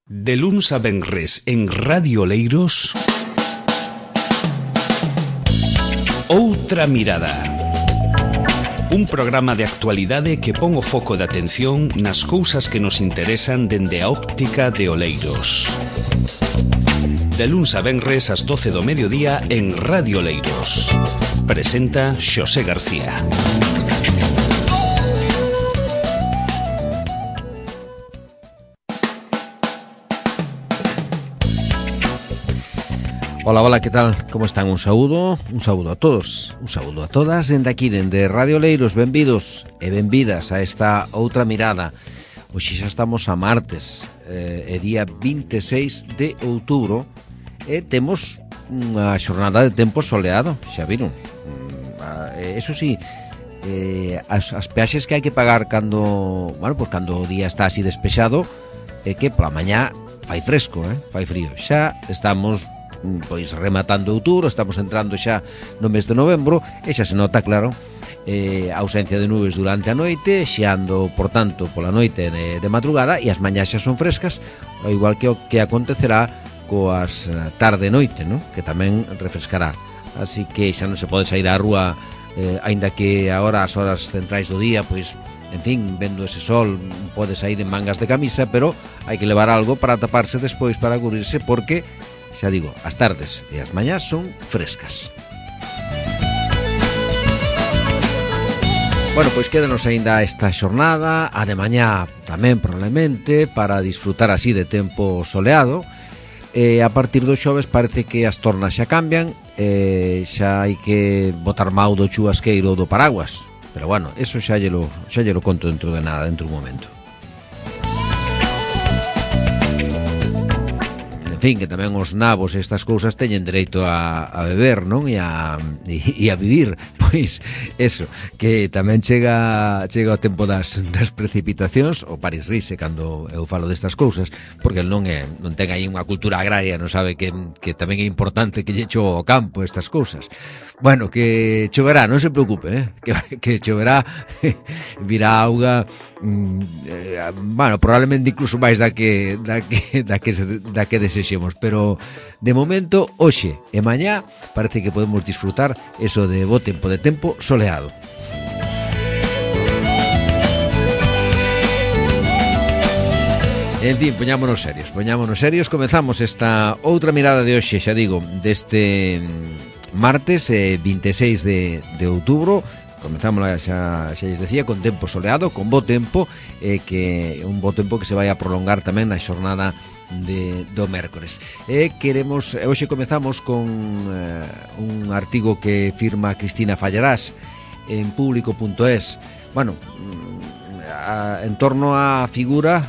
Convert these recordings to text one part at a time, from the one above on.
De luns a venres en Radio Oleiros, Outra Mirada. Un programa de actualidade que pon o foco de atención nas cousas que nos interesan dende a óptica de Oleiros. De luns a venres ás 12 do mediodía en Radio Oleiros. Presenta Xosé García. Hola, hola, ¿qué tal? ¿Cómo están? Un saúdo a todos, un saúdo a todas dende aquí, dende Radio Oleiros. Benvidos e benvidas a esta Outra Mirada. Hoxe xa estamos a martes, é día 26 de outubro e temos unha xornada de tempo soleado, xa viron. Eso sí, as peaxes que hai que pagar cando o día está así despexado é que pola mañá fai fresco, fai frío. Xa estamos pois rematando outubro, estamos entrando xa no mes de novembro e xa se nota, claro, a ausencia de nubes durante a noite, xeando, por tanto, pola noite de madrugada, e as mañás xa son frescas, ao igual que o que acontecerá coas tarde-noite, ¿no? Que tamén refrescará. Así que xa non se pode sair á rúa, aínda que agora as horas centrais do día, pois, en fin, vendo ese sol, pode sair en mangas de camisa, pero hai que levar algo para taparse despois, para cubrirse, porque xa digo, as tardes e as mañás son frescas. Bueno, pois quédanos aínda esta xornada, a de mañá tamén probablemente, para disfrutar así de tempo soleado. A partir do xoves parece que as tornas xa cambian, xa hai que botar mau do chuvasqueiro ou do paraguas. Pero bueno, eso xa lle lo conto dentro de nada, dentro dun momento. En fin, que tamén os nabos e estas cousas teñen dereito a beber, non? E a vivir. Pois, eso, que tamén chega o tempo das precipitacións, o Paris rise cando eu falo destas cousas, porque non ten aí unha cultura agraria, non sabe que tamén é importante que lle cho ao campo estas cousas. Bueno, que choverá, non se preocupe, que choverá, virá auga, probablemente incluso máis da que desexemos, pero de momento, hoxe e mañá parece que podemos disfrutar eso de bo tempo, de tempo soleado. En fin, poñámonos serios, comezamos esta outra mirada de hoxe, xa digo, deste martes 26 de outubro. Comezamos, xa lles decía, con tempo soleado, con bo tempo, que un bo tempo que se vai a prolongar tamén na xornada do mércores. Hoxe comezamos con un artigo que firma Cristina Fallarás en público.es, en torno á figura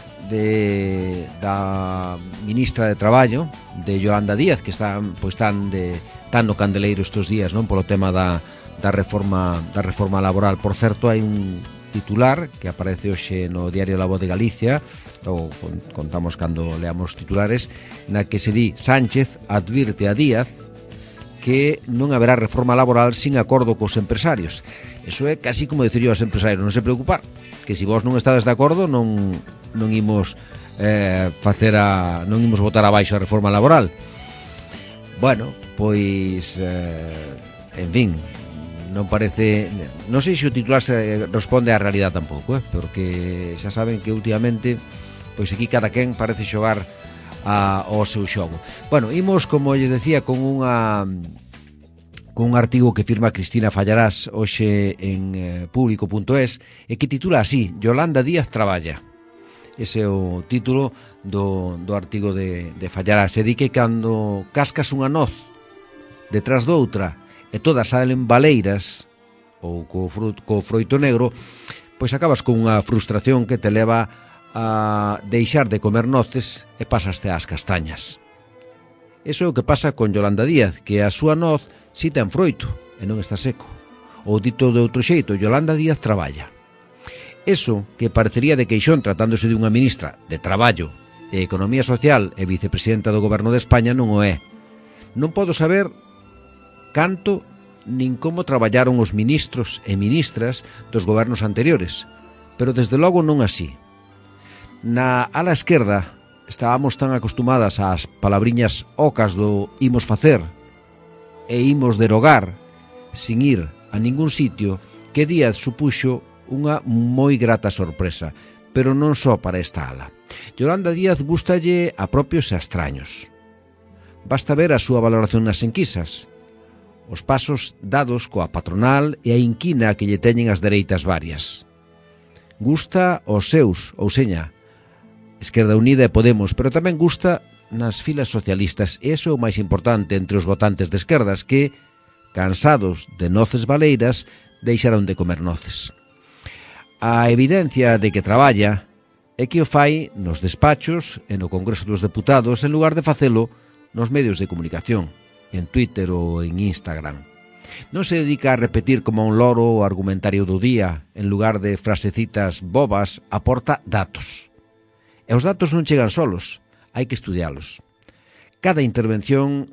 da ministra de Traballo, de Yolanda Díaz, que tan no candeleiro estes días, non, polo tema da reforma laboral. Por certo, hai un titular que aparece hoxe no diario La Voz de Galicia, ou contamos cando leamos titulares, na que se di: Sánchez advirte a Díaz que non haberá reforma laboral sin acordo cos empresarios. Eso é casi como dicir aos empresarios: non se preocupar, que se vos non estades de acordo non imos non imos botar abaixo a reforma laboral. Bueno, pois en fin, non parece, non sei se o titular se responde á realidade tampouco, porque xa saben que últimamente pois aquí cada quen parece xogar ao seu xogo. Bueno, imos, como lles decía, con un artigo que firma Cristina Fallarás hoxe en público.es e que titula así: Yolanda Díaz traballa. Ese é o título do artigo de Fallarás. E di que cando cascas unha noz detrás doutra e todas salen baleiras ou co froito negro, pois acabas con unha frustración que te leva a deixar de comer noces e pasaste ás castañas. Eso é o que pasa con Yolanda Díaz, que a súa noz si ten froito e non está seco. Ou dito de outro xeito, Yolanda Díaz traballa. Eso que parecería de queixón tratándose de unha ministra de Traballo e Economía Social e vicepresidenta do Goberno de España non o é. Non podo saber canto nin como traballaron os ministros e ministras dos gobernos anteriores, pero desde logo non así. Na ala esquerda estábamos tan acostumadas ás palabriñas ocas do imos facer e imos derogar sin ir a ningún sitio, que Díaz supuxo unha moi grata sorpresa, pero non só para esta ala. Yolanda Díaz gústalle a propios e a extraños. Basta ver a súa valoración nas enquisas, os pasos dados coa patronal e a inquina que lle teñen as dereitas varias. Gusta aos seus, ou seña, Esquerda Unida e Podemos, pero tamén gusta nas filas socialistas, e iso é o máis importante entre os votantes de esquerdas que, cansados de noces baleiras, deixaron de comer noces. A evidencia de que traballa é que o fai nos despachos e no Congreso dos Deputados en lugar de facelo nos medios de comunicación, en Twitter ou en Instagram. Non se dedica a repetir como un loro o argumentario do día, en lugar de frasecitas bobas, aporta datos. E os datos non chegan solos, hai que estudialos. Cada intervención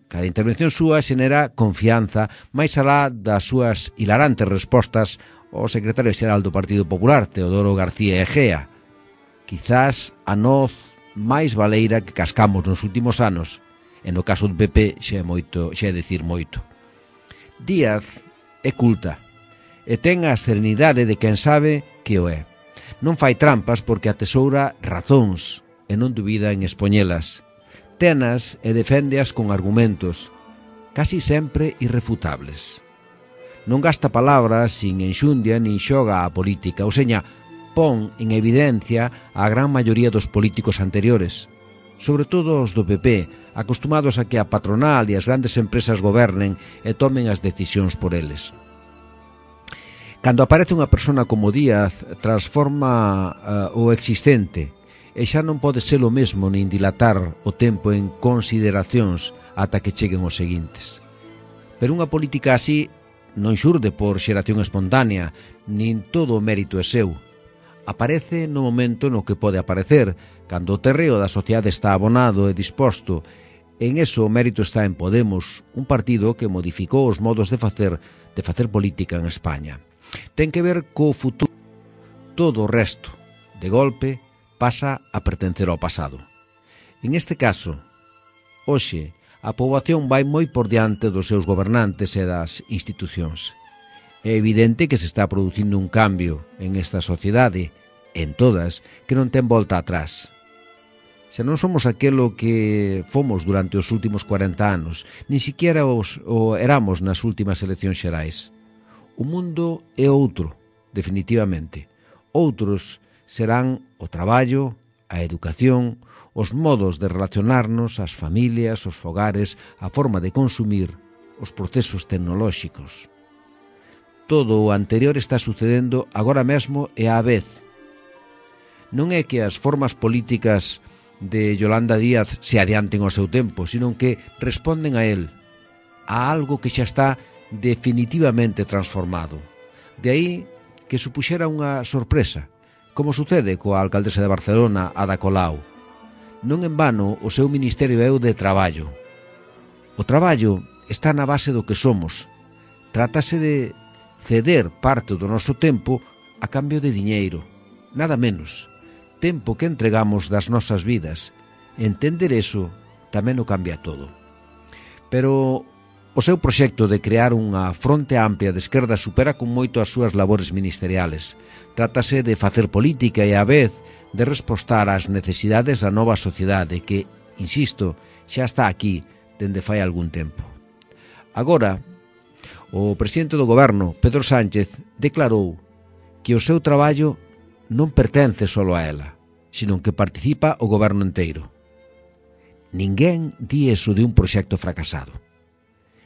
súa xenera confianza, máis alá das súas hilarantes respostas ao secretario xeral do Partido Popular, Teodoro García Egea. Quizás a noz máis baleira que cascamos nos últimos anos, e no caso do PP xa é dicir moito. Díaz é culta e ten a serenidade de quen sabe que o é. Non fai trampas porque atesoura razóns e non dubida en expoñelas. Tenas e deféndeas con argumentos, casi sempre irrefutables. Non gasta palabras sin enxundia nin xoga a política, ou seña, pon en evidencia a gran maioría dos políticos anteriores, sobre todo os do PP, acostumados a que a patronal e as grandes empresas gobernen e tomen as decisións por eles. Cando aparece unha persona como Díaz, transforma o existente, e xa non pode ser o mesmo nin dilatar o tempo en consideracións ata que cheguen os seguintes. Pero unha política así non xurde por xeración espontánea, nin todo o mérito é seu. Aparece no momento no que pode aparecer, cando o terreo da sociedade está abonado e disposto. En eso o mérito está en Podemos, un partido que modificou os modos de facer política en España. Ten que ver co futuro. Todo o resto, de golpe, pasa a pertencer ao pasado. En este caso, hoxe, a poboación vai moi por diante dos seus gobernantes e das institucións. É evidente que se está producindo un cambio en esta sociedade, en todas, que non ten volta atrás. Xa non somos aquelo que fomos durante os últimos 40 anos, nin siquiera o éramos nas últimas eleccións xerais. O mundo é outro, definitivamente. Outros serán o traballo, a educación, os modos de relacionarnos, as familias, os fogares, a forma de consumir, os procesos tecnolóxicos. Todo o anterior está sucedendo agora mesmo e á vez. Non é que as formas políticas de Yolanda Díaz se adianten ao seu tempo, sino que responden a él, a algo que xa está definitivamente transformado. De aí que supuxera unha sorpresa, como sucede coa alcaldesa de Barcelona, Ada Colau. Non en vano o seu ministerio é o de traballo. O traballo está na base do que somos. Trátase de ceder parte do noso tempo a cambio de diñeiro, nada menos. Tempo que entregamos das nosas vidas. Entender eso tamén o cambia todo. Pero o seu proxecto de crear unha fronte amplia de esquerda supera con moito as súas labores ministeriales. Trátase de facer política e á vez de respostar ás necesidades da nova sociedade que, insisto, xa está aquí dende fai algún tempo. Agora, o presidente do goberno, Pedro Sánchez, declarou que o seu traballo non pertence só a ela, sino que participa o goberno enteiro. Ninguén di eso de un proxecto fracasado.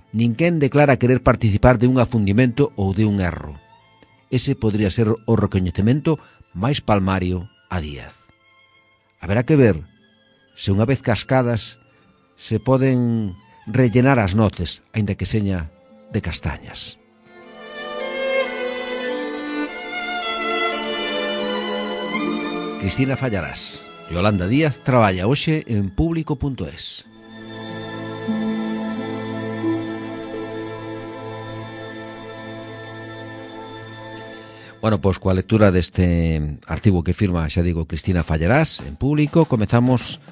Ninguén declara querer participar de un afundimento ou de un erro. Ese podría ser o recoñecemento máis palmario a Díaz. Haberá que ver se unha vez cascadas se poden rellenar as noces, aínda que seña de castañas. Cristina Fallarás. Yolanda Díaz traballa hoxe en Público.es. Bueno, pois coa lectura deste artigo que firma, xa digo, Cristina Fallarás en Público, comezamos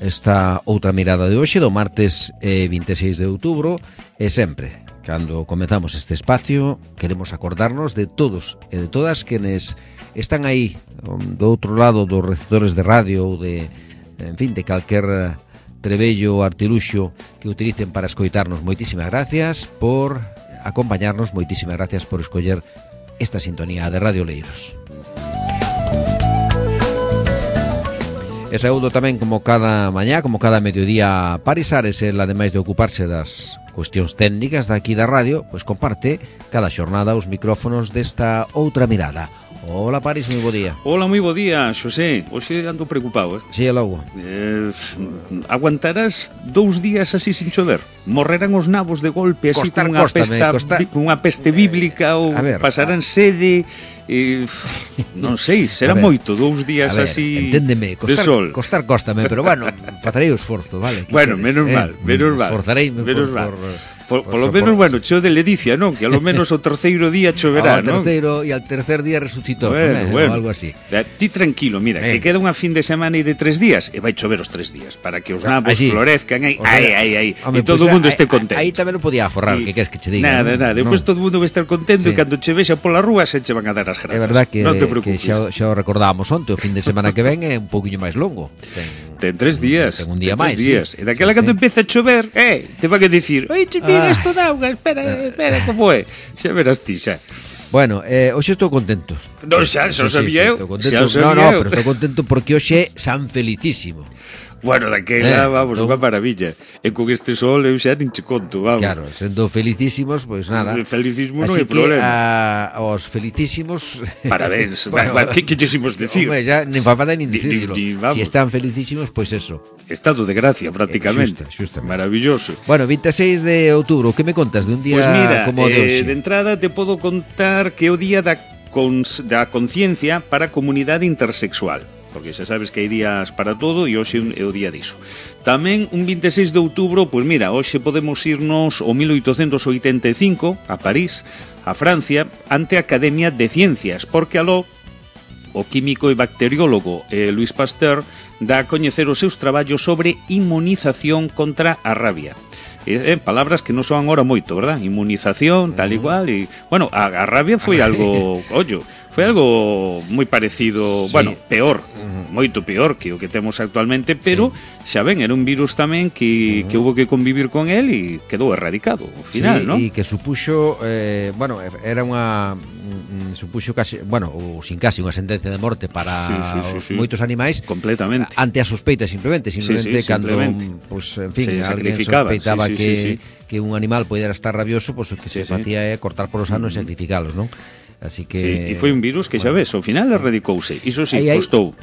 esta outra mirada de hoxe do martes 26 de outubro e sempre, cando comezamos este espacio, queremos acordarnos de todos e de todas quenes están aí do outro lado dos receptores de radio ou de, en fin, de calquer trebello ou artiluxo que utilicen para escoitarnos. Moitísimas gracias por acompañarnos, moitísimas gracias por escoller esta sintonía de Radio Leiros. E saúdo tamén, como cada mañá, como cada mediodía, Paris Ares, el ademais de ocuparse das cuestións técnicas daqui da radio, pois comparte cada xornada os micrófonos desta outra mirada. Hola Paris, moi bo día. Hola, moi bo día, Xosé. Hoxe ando preocupado, Si, é logo. Aguantarás 2 días así sin chover? Morrerán os nabos de golpe así cunha peste bíblica ou pasarán sede? Non sei, será moito 2 días así enténdeme, de sol. Cóstame, pero bueno, farei o esforzo, vale? Bueno, menos mal. Esforzareime por lo menos, bueno, cheo de ledicia, non? Que a lo menos o terceiro día choverá, non? E al tercer día resucitó, bueno. Ou algo así. Ti tranquilo, mira, que queda unha fin de semana e de 3 días, e vai chover os 3 días, para que os nabos florezcan aí, e todo o mundo este contento. Aí tamén o podía aforrar, que queres que che diga. Nada, depois todo o mundo vai estar contento e cando che vexa pola rúa se che van a dar as grazas. É verdad que, non te preocupes. xa o recordábamos onte, o fin de semana que ven é un pouquiño máis longo. Ten 3 días. Ten un día máis. E daquela cando empeza a chover, te van a dicir, oi, che mira isto da auga, espera, como é? Xa verás ti, xa. Bueno, hoxe estou contento. Non, xa sabía eu. No, pero estou contento porque hoxe é San Felicísimo. Bueno, daquela, vamos, unha maravilla. E con este sol eu xa nin che conto, vamos. Claro, sendo felicísimos, pois nada. Felicísimo non hai problema. Así que aos felicísimos... Parabéns. Que quiximos decir? Hombre, xa nin fa falta nin dicirlo. Si están felicísimos, pois eso. Estado de gracia, prácticamente. Xusta. Maravilloso. Bueno, 26 de outubro, que me contas de un día como o de hoxe? De entrada te podo contar que é o día da conciencia para a comunidade intersexual, porque xa sabes que hai días para todo e hoxe é o día diso. Tamén un 26 de outubro, pois mira, hoxe podemos irnos ao 1885 a París, a Francia, ante a Academia de Ciencias, porque aló o químico e bacteriólogo Louis Pasteur dá a coñecer os seus traballos sobre inmunización contra a rabia. Palabras que non soan ahora moito, verdad? Inmunización, tal igual, e bueno, a rabia foi algo, foi algo moi parecido, bueno, peor, moito peor que o que temos actualmente, pero xa ven, era un virus tamén que hubo que convivir con él e quedou erradicado ao final, non? E que supuxo, bueno, era unha supuxo casi, bueno, ou sin casi unha sentencia de morte para moitos animais completamente ante a sospeita simplemente cando, pues, en fin, alguén sospeitaba que un animal podera estar rabioso, pues o que se facía é cortar polos anos e sacrificalos, non? Así que e foi un virus que xa ves, ao final erradicouse. Iso costou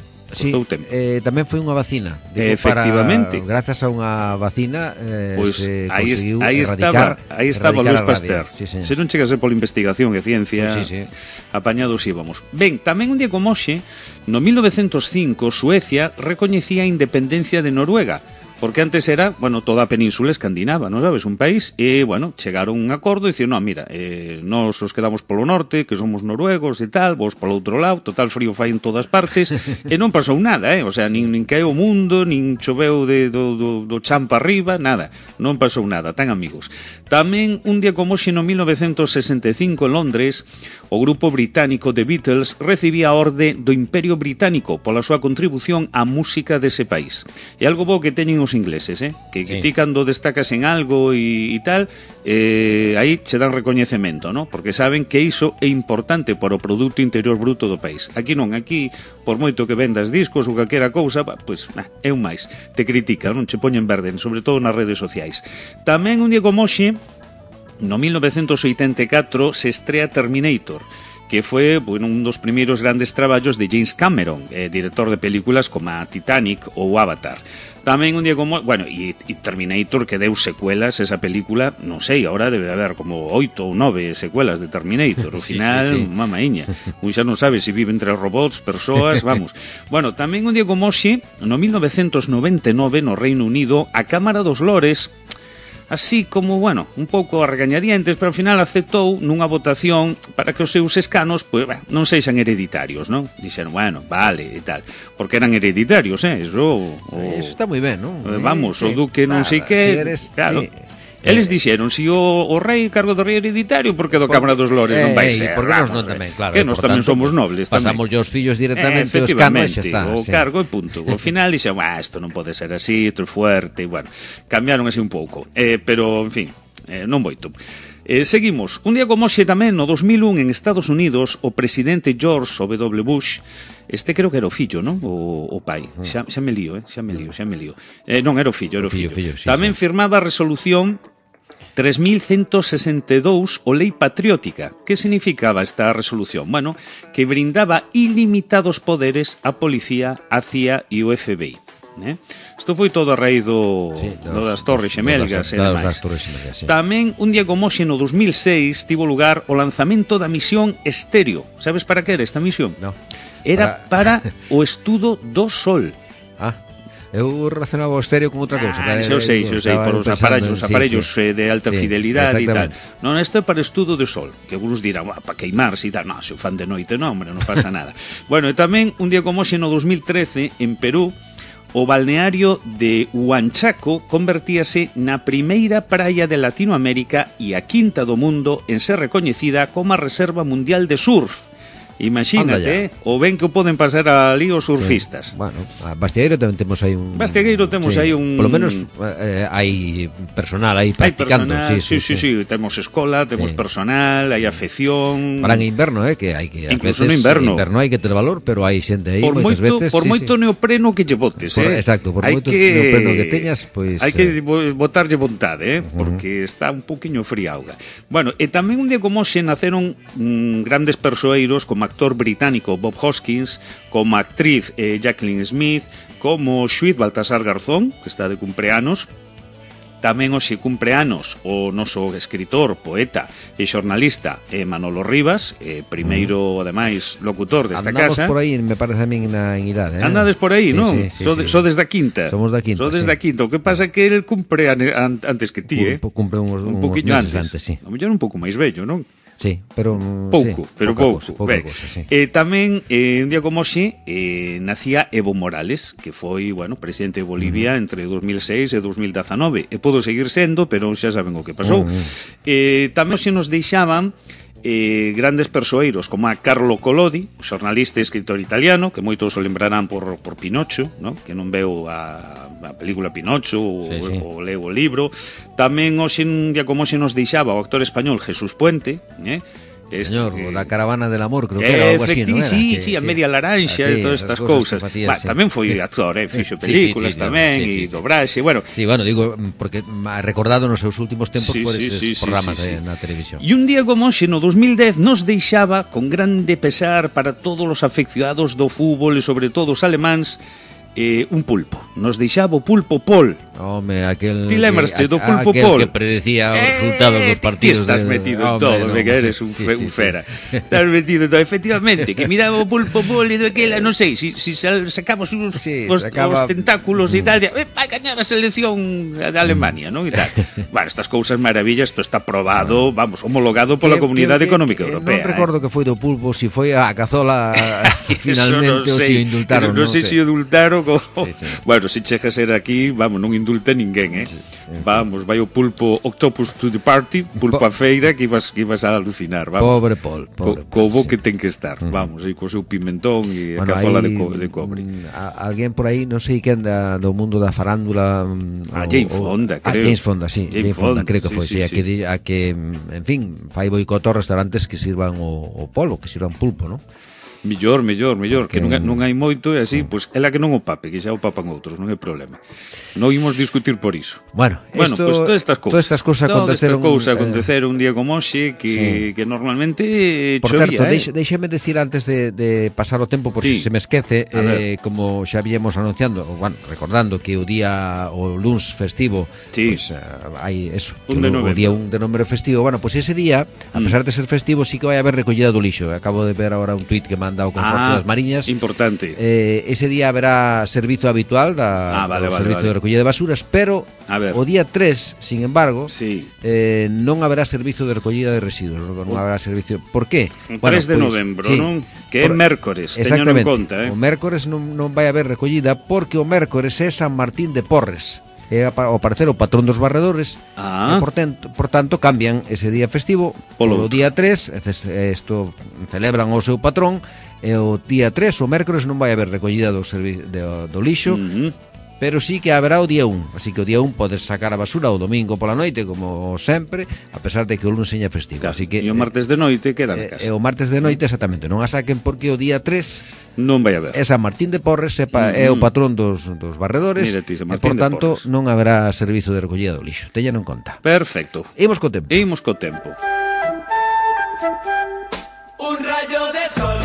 tempo. Tamén foi unha vacina. Efectivamente. Grazas a unha vacina pues se aí conseguiu aí estaba Louis Pasteur. Se non chega a ser pola investigación e ciencia, apañados íbamos. Ben, tamén un día como hoxe, no 1905, Suecia recoñecía a independencia de Noruega, porque antes era, bueno, toda a península escandinava, non sabes, un país, e, bueno, chegaron a un acordo e dicir, non, mira, nós os quedamos polo norte, que somos noruegos e tal, vos polo outro lado, total frío fai en todas partes, e non pasou nada, o sea, nin caeu o mundo, nin choveu do chan para arriba, nada, non pasou nada, tan amigos. Tamén, un día como hoxe, no 1965, en Londres, o grupo británico The Beatles recibía a orde do Imperio Británico pola súa contribución á música dese país. E algo bo que teñen os ingleses, que ti cando destacas en algo e tal, aí che dan recoñecemento, ¿no? Porque saben que iso é importante para o Produto Interior Bruto do país. Aquí non, aquí, por moito que vendas discos ou calquera cousa, pues, é un máis. Te critican, non che poñen verde, sobre todo nas redes sociais. Tamén un día como hoxe, no 1984, se estrea Terminator, que foi, bueno, un dos primeiros grandes traballos de James Cameron, director de películas como a Titanic ou Avatar. Tamén un día como... Bueno, e Terminator, que deu secuelas esa película, non sei, ahora debe haber como 8 ou 9 secuelas de Terminator. Ao final, mamaiña. Un xa non sabe se vive entre robots, persoas, vamos. Bueno, tamén un día como hoxe, no 1999, no Reino Unido, a Cámara dos Lores así como, bueno, un pouco a regañadientes, pero ao final aceptou nunha votación para que os seus escanos, pues, bueno, non sexan hereditarios, non? Dixeron, bueno, vale, e tal, porque eran hereditarios, eso está moi ben, non? Vamos, o duque non sei que, claro. Sí. Eles dixeron, si o rei cargo do rei hereditario, porque do Cámara dos Lores non vai ser. Porque nos non tamén, claro. Que nos tamén somos nobles. Pasamos os fillos directamente os canos e xa está. O cargo e punto. Ao final dixen, isto non pode ser así, isto é fuerte, e bueno, cambiaron así un pouco. Pero, en fin, non moito. Seguimos. Un día como hoxe tamén, no 2001, en Estados Unidos, o presidente George W. Bush, creo que era o fillo, non? O pai. Xa me lío. Non, era o fillo. Tamén firmaba a resolución 3162 o Lei Patriótica. Que significaba esta resolución? Bueno, que brindaba ilimitados poderes á policía, á CIA e o FBI. Isto foi todo a raíz das Torres Xemelgas e demais. Tamén, un día como hoxe, no 2006, tivo lugar o lanzamento da misión Estéreo. Sabes para que era esta misión? No. Era para o estudo do Sol. Eu relacionaba o estéreo con outra cousa. Xo sei, por os aparellos de alta fidelidade e tal. Non, isto é para estudo do Sol. Que algunos dirán, para queimarse e tal. Non, se o fan de noite, non, hombre, non pasa nada. Bueno, e tamén, un día como hoxe, no 2013, en Perú, o balneario de Huanchaco convertíase na primeira praia de Latinoamérica e a quinta do mundo en ser recoñecida como a Reserva Mundial de Surf. Imagínate, o ben que o poden pasar ali os surfistas. Bueno, a Bastiagueiro tamén temos aí un... aí un... Por lo menos hai personal aí practicando. Sí, temos escola, temos personal, hai afección. Para en inverno, que hai que... Incluso no inverno. Inverno hai que ter valor, pero hai xente aí moitas veces... Por moito neopreno que lle botes, Exacto, por moito neopreno que teñas, pois... Hai que botarlle vontade, porque está un poquinho fría auga. Bueno, e tamén un día como hoxe naceron grandes persoeiros como actor británico Bob Hoskins, como actriz Jacqueline Smith, como xuiz Baltasar Garzón, que está de cumpleanos. Tamén hoxe cumpleanos o noso escritor, poeta e xornalista Manolo Rivas, primeiro, ademais, locutor desta casa. Andamos por aí, me parece a min en idade. Andades por aí, non? Sodes da quinta. Somos da quinta, Sodes da quinta. O que pasa é que ele cumpre antes que ti, Cumple un poquinho antes, sí. A mellor un pouco máis vello, non? Sí, pero pouco. Pouca cosa, sí. Tamén, un día como hoxe, nacía Evo Morales, que foi, presidente de Bolivia entre 2006 e 2019. E podo seguir sendo, pero xa saben o que pasou. Tamén hoxe nos deixaban grandes persoeiros como a Carlo Collodi, xornalista e escritor italiano, que moitos o lembrarán por Pinocho, ¿no? Que non veu a película Pinocho ou leu o libro. Tamén hoxe, un día como hoxe, nos deixaba o actor español Jesús Puente, Señor, o da Caravana del Amor, creo que era algo así, non era? Sí, a Media Laranxa e todas estas cousas. Tamén foi actor, fixo películas tamén e dobraxe, Sí, digo, porque recordado nos seus últimos tempos por eses programas na televisión. E un día como hoxe, no 2010, nos deixaba con grande pesar para todos os afeccionados do fútbol e sobre todo os alemáns, un pulpo. Nos deixaba o pulpo Paul. Home, aquel... Ti lembraste do pulpo Paul? Aquel que predecía os resultados dos partidos. Ti estás metido en todo, que eres un fera. Estás metido en todo. Efectivamente, que miraba o pulpo Paul e daquela, non sei, si sacamos os tentáculos e tal, vai gañar a selección de Alemania, non? E tal. Estas cousas maravillas, isto está probado, homologado pola Comunidade Económica Europea. Non recordo que foi do pulpo, si foi a cazola finalmente ou si o indultaron. Non sei se o indultaron. Se chegas a ser aquí, non indulta ninguén, Vai o pulpo Octopus to the party, pulpo a feira, que ibas a alucinar, Pobre Paul. Co bo que ten que estar, e co seu pimentón e a cazola de cobre. Alguén por aí, non sei quen do mundo da farándula, Jane Fonda, creo. James Fonda, Jane Fonda, creo que foi, a que, en fin, fai boicot aos restaurantes que sirvan o polo, que sirvan pulpo, non? Mellor, que non hai moito e así, pois ela que non o pape, que xa o papan outros, non é problema. Non imos discutir por iso. Bueno, pois todas estas cousas aconteceron un día como hoxe que normalmente por chovía. Por certo, deixeme decir antes de pasar o tempo, por se me esquece, como xa viemos anunciando, recordando que o luns festivo, pois hai eso, o día un de número festivo, pois ese día, a pesar de ser festivo, sí que vai haber recollida do lixo. Acabo de ver agora un tuit que manda o Consorcio das Mariñas. Importante. Ese día haberá servizo habitual do servizo de recollida de basuras, pero o día 3, sin embargo, non haberá servizo de recollida de residuos, non haberá servicio. Por qué? 3 de novembro, non? Que é mércores, teño en conta, O mércores non vai haber recollida porque o mércores é San Martín de Porres. É ao parecer o patrón dos barredores e por tanto cambian ese día festivo polo día 3, isto celebran o seu patrón, e o día 3, o mércores, non vai haber recollida do lixo, pero sí que haberá o día 1, así que o día 1 podes sacar a basura o domingo pola noite, como sempre, a pesar de que o lunes seña festivo. Así que, e o martes de noite queda na casa. E o martes de noite, exactamente, non a saquen porque o día 3 non vai haber. É San Martín de Porres, é o patrón dos barredores, e por tanto non haberá servizo de recollida do lixo. Téñano en conta. Perfecto. Imos co tempo. Un rayo de sol.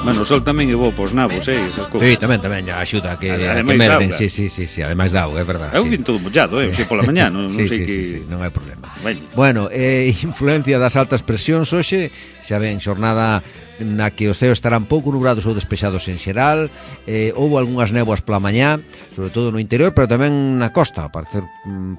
Bueno, o sol tamén é bo pos nabos, esas cousas. Sí, tamén axuda a que merden. Sí, ademais dá auga, é verdade. Eu vin todo mollado, pola mañá, non sei que... non hai problema. Bueno, influencia das altas presións hoxe, xa ven, xornada na que os ceos estarán pouco nubrados ou despexados en xeral, houve algunhas néboas pola mañá, sobre todo no interior, pero tamén na costa, a parecer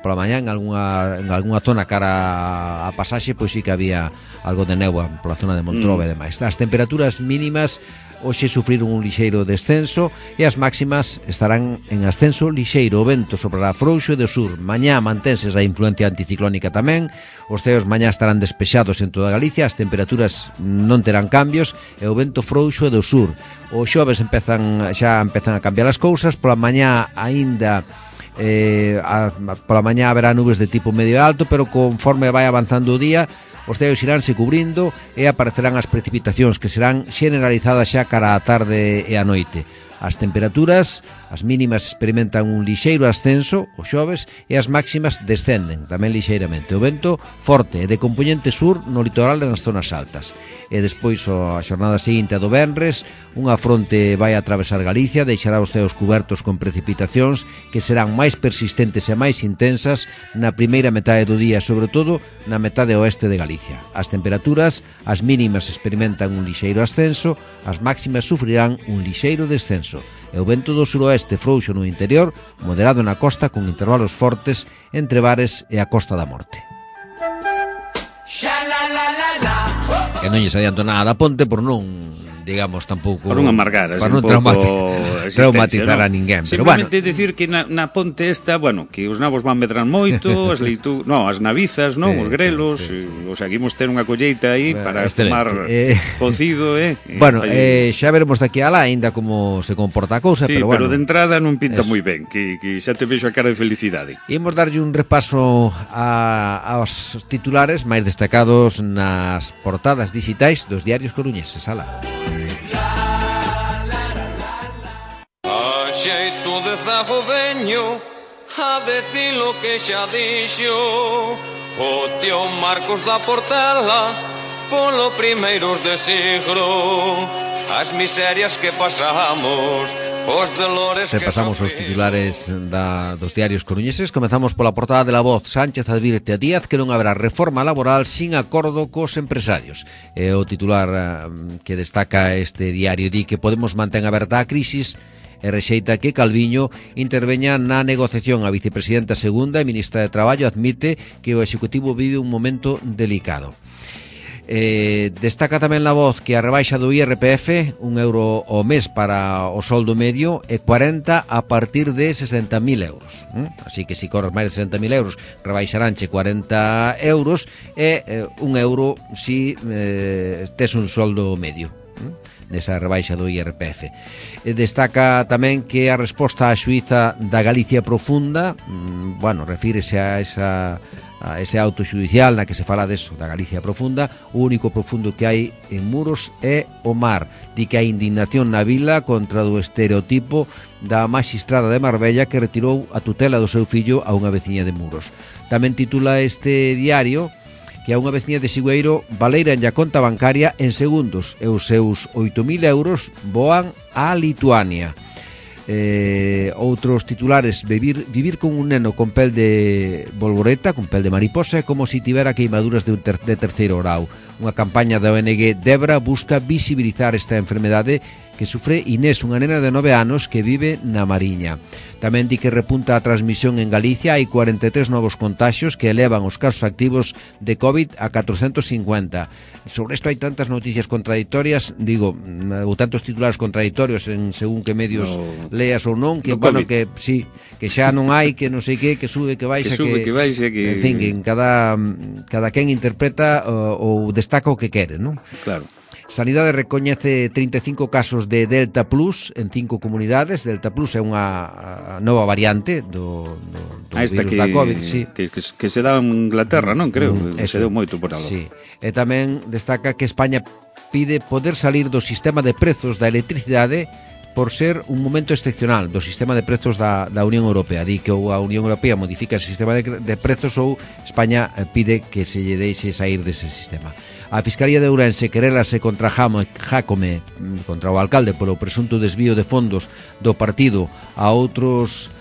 pola mañá en algunha zona cara a pasaxe, pois sí que había algo de néboa pola zona de Montrove e demais. As temperaturas mínimas hoxe sufriron un lixeiro descenso e as máximas estarán en ascenso lixeiro. O vento soprará frouxo e do sur. Mañá mantenses a influencia anticiclónica tamén. Os ceos mañá estarán despexados en toda Galicia, as temperaturas non terán cambios e o vento frouxo e do sur. Os xoves xa empezan a cambiar as cousas. Pola mañá aínda pola mañá haberá nubes de tipo medio alto, pero conforme vai avanzando o día, os ceos iránse cubrindo e aparecerán as precipitacións que serán xeneralizadas xa cara á tarde e á noite. As temperaturas, as mínimas experimentan un lixeiro ascenso os xoves e as máximas descenden tamén lixeiramente. O vento forte e de compoñente sur no litoral e nas zonas altas. E despois a xornada seguinte a do venres, unha fronte vai atravesar Galicia, deixará os ceos cubertos con precipitacións que serán máis persistentes e máis intensas na primeira metade do día, sobre todo na metade oeste de Galicia. As temperaturas, as mínimas experimentan un lixeiro ascenso, as máximas sufrirán un lixeiro descenso. E o vento do suroeste frouxo no interior, moderado na costa con intervalos fortes entre Bares e a Costa da Morte. E non lles adianto nada da ponte por non, digamos, tampouco... Para non amargar, para non traumatizar a ninguén. Simplemente dicir que na ponte esta, bueno, que os nabos van medrar moito, as navizas, os grelos, o sea, que imos ter unha colleita aí para tomar cocido, Bueno, xa veremos daqui a lá ainda como se comporta a cousa, pero bueno. Pero de entrada non pinta moi ben, que xa te vexo a cara de felicidade. Imos darlle un repaso aos titulares máis destacados nas portadas digitais dos diarios coruñeses. Ala. A xeito de zago veño a decir lo que xa dixo o tío Marcos da Portela polo primeiros de siglo, as miserias que pasamos, os dolores que pasamos os titulares dos diarios coruñeses. Comezamos pola portada de La Voz. Sánchez advirte a Díaz que non haberá reforma laboral sin acordo cos empresarios. É o titular que destaca este diario. Di que Podemos mantén aberta a crisis e rexeita que Calviño interveña na negociación. A vicepresidenta segunda e ministra de Traballo admite que o Executivo vive un momento delicado. Destaca tamén La Voz que a rebaixa do IRPF, €1 ao mes para o soldo medio e 40 a partir de 60.000 euros. Así que se corres máis de 60.000 euros rebaixaránche 40 euros e €1 si tes un soldo medio nesa rebaixa do IRPF. Destaca tamén que a resposta á xuíza da Galicia profunda, refírese a ese auto xudicial na que se fala deso, da Galicia profunda. O único profundo que hai en Muros é o mar. Di que hai indignación na vila contra o estereotipo da magistrada de Marbella que retirou a tutela do seu fillo a unha veciña de Muros. Tamén titula este diario que a unha veciña de Sigüeiro valeiran a conta bancaria en segundos e os seus 8.000 euros voan a Lituania. Outros titulares: vivir con un neno con pel de bolboreta, con pel de mariposa, é como se tivera queimaduras de terceiro grau. Unha campaña da ONG Debra busca visibilizar esta enfermedade que sufre Inés, unha nena de 9 anos que vive na Mariña. Tamén di que repunta a transmisión en Galicia, hai 43 novos contaxios que elevan os casos activos de COVID a 450. Sobre isto hai tantas noticias contradictorias, digo, ou tantos titulares contradictorios en según que medios leas ou non, que bueno, que sí, que xa non hai, que non sei que sube, que baixa, que baixa, que... En fin, que cada quen interpreta ou destaca o que quere, non? Claro. Sanidade recoñece 35 casos de Delta Plus en 5 comunidades. Delta Plus é unha nova variante do virus da COVID, sí. Que se dá en Inglaterra, non? Creo, se deu moito por algo. Sí. E tamén destaca que España pide poder salir do sistema de prezos da electricidade por ser un momento excepcional do sistema de prezos da Unión Europea. Di que ou a Unión Europea modifica o sistema de prezos ou España pide que se lle deixe sair dese sistema. A Fiscalía de Ourense querélase contra Jácome, contra o alcalde, polo presunto desvío de fondos do partido a outros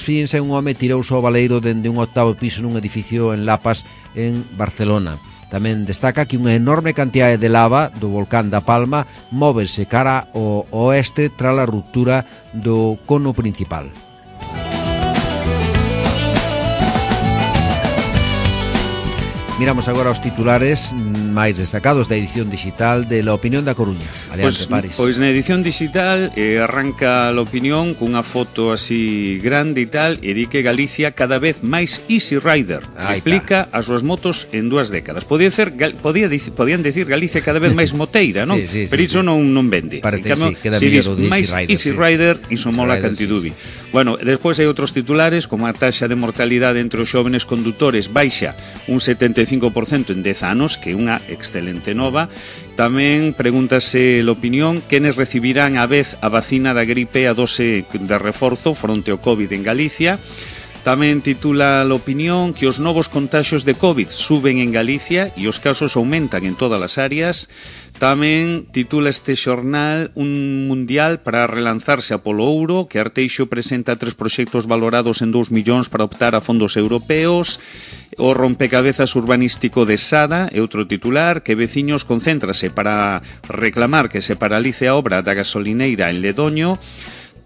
fins, e un home tirouse ao baleiro dende un 8º piso nun edificio en Lapas, en Barcelona. Tamén destaca que unha enorme cantidade de lava do volcán da Palma móvese cara ao oeste tras a ruptura do cono principal. Miramos agora os titulares máis destacados da edición digital de La Opinión da Coruña. Adiante, Paris. Pois na edición digital arranca La Opinión cunha foto así grande e tal, e di que Galicia cada vez máis Easy Rider, triplica as súas motos en 2 décadas. Podían decir Galicia cada vez máis moteira, non? Sí, pero iso non vende. Parece que queda mellor o de Easy Rider, iso mola cantidubi. Bueno, despois hai outros titulares, como a taxa de mortalidade entre os xóvenes condutores baixa un 75% en 10 anos, que é unha excelente nova. Tamén pregúntase l'opinión quenes recibirán a vez a vacina da gripe a dose de reforzo fronte ao COVID en Galicia. Tamén titula l'opinión que os novos contaxios de COVID suben en Galicia e os casos aumentan en todas as áreas. Tamén titula este xornal un mundial para relanzarse a polo ouro, que Arteixo presenta 3 proxectos valorados en 2 millóns para optar a fondos europeos. O rompecabezas urbanístico de Sada é outro titular, que veciños concéntrase para reclamar que se paralice a obra da gasolineira en Ledoño.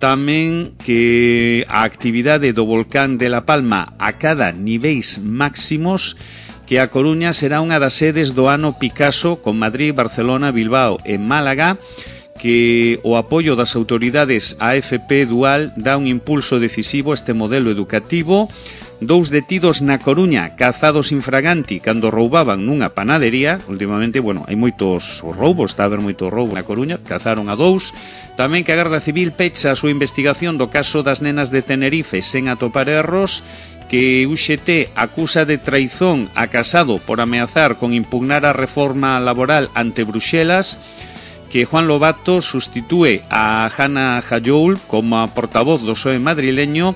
Tamén que a actividade do volcán de La Palma acada niveis máximos, que a Coruña será unha das sedes do ano Picasso, con Madrid, Barcelona, Bilbao e Málaga, que o apoio das autoridades á FP Dual dá un impulso decisivo a este modelo educativo. 2 detidos na Coruña, cazados infraganti cando roubaban nunha panadería. Últimamente, bueno, hai moitos roubos, está a haber moito roubo na Coruña, cazaron a 2. Tamén que a Garda Civil pecha a súa investigación do caso das nenas de Tenerife sen atopar erros, que UGT acusa de traizón a Casado por ameazar con impugnar a reforma laboral ante Bruxelas, que Juan Lobato sustitúe a Hanna Jayoul como portavoz do PSOE madrileño.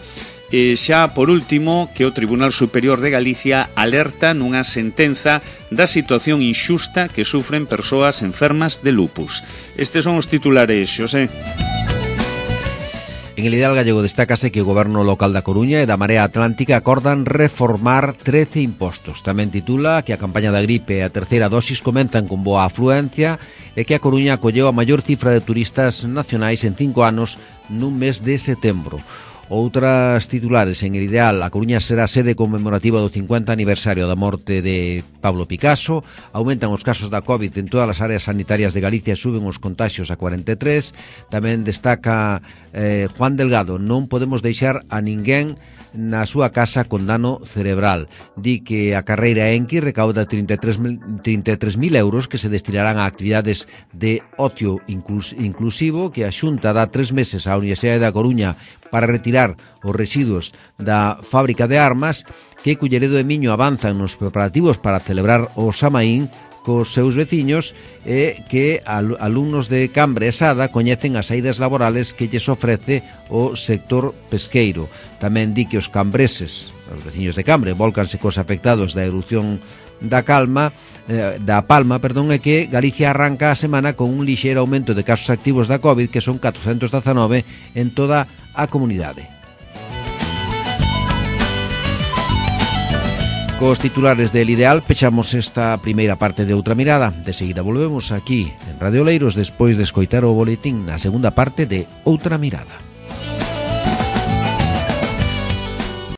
E xa, por último, que o Tribunal Superior de Galicia alerta nunha sentenza da situación inxusta que sufren persoas enfermas de lupus. Estes son os titulares, Xosé. En el Ideal Gallego destácase que o Goberno local da Coruña e da Marea Atlántica acordan reformar 13 impostos. Tamén titula que a campaña da gripe e a terceira dosis comenzan con boa afluencia e que a Coruña acolleu a maior cifra de turistas nacionais en 5 anos nun mes de setembro. Outras titulares en el Ideal: a Coruña será sede conmemorativa do 50 aniversario da morte de Pablo Picasso. Aumentan os casos da COVID en todas as áreas sanitarias de Galicia e suben os contaxios a 43. Tamén destaca Juan Delgado: non podemos deixar a ninguén na súa casa con dano cerebral. Di que a carreira Enki recauda 33.000 euros que se destinarán a actividades de ocio inclusivo, que a Xunta dá 3 meses á Universidade da Coruña para retirar os residuos da fábrica de armas, que Culleredo e Miño avanzan nos preparativos para celebrar o Samaín cos seus veciños e que alumnos de Cambre e Sada coñecen as saídas laborales que lles ofrece o sector pesqueiro. Tamén di que os cambreses, os veciños de Cambre, volcanse cos afectados da erupción da Palma, e que Galicia arranca a semana con un lixeiro aumento de casos activos da COVID, que son 419 en toda a comunidade. Cos titulares del Ideal pechamos esta primeira parte de Outra Mirada. De seguida volvemos aquí en Radio Oleiros despois de escoitar o boletín na segunda parte de Outra Mirada.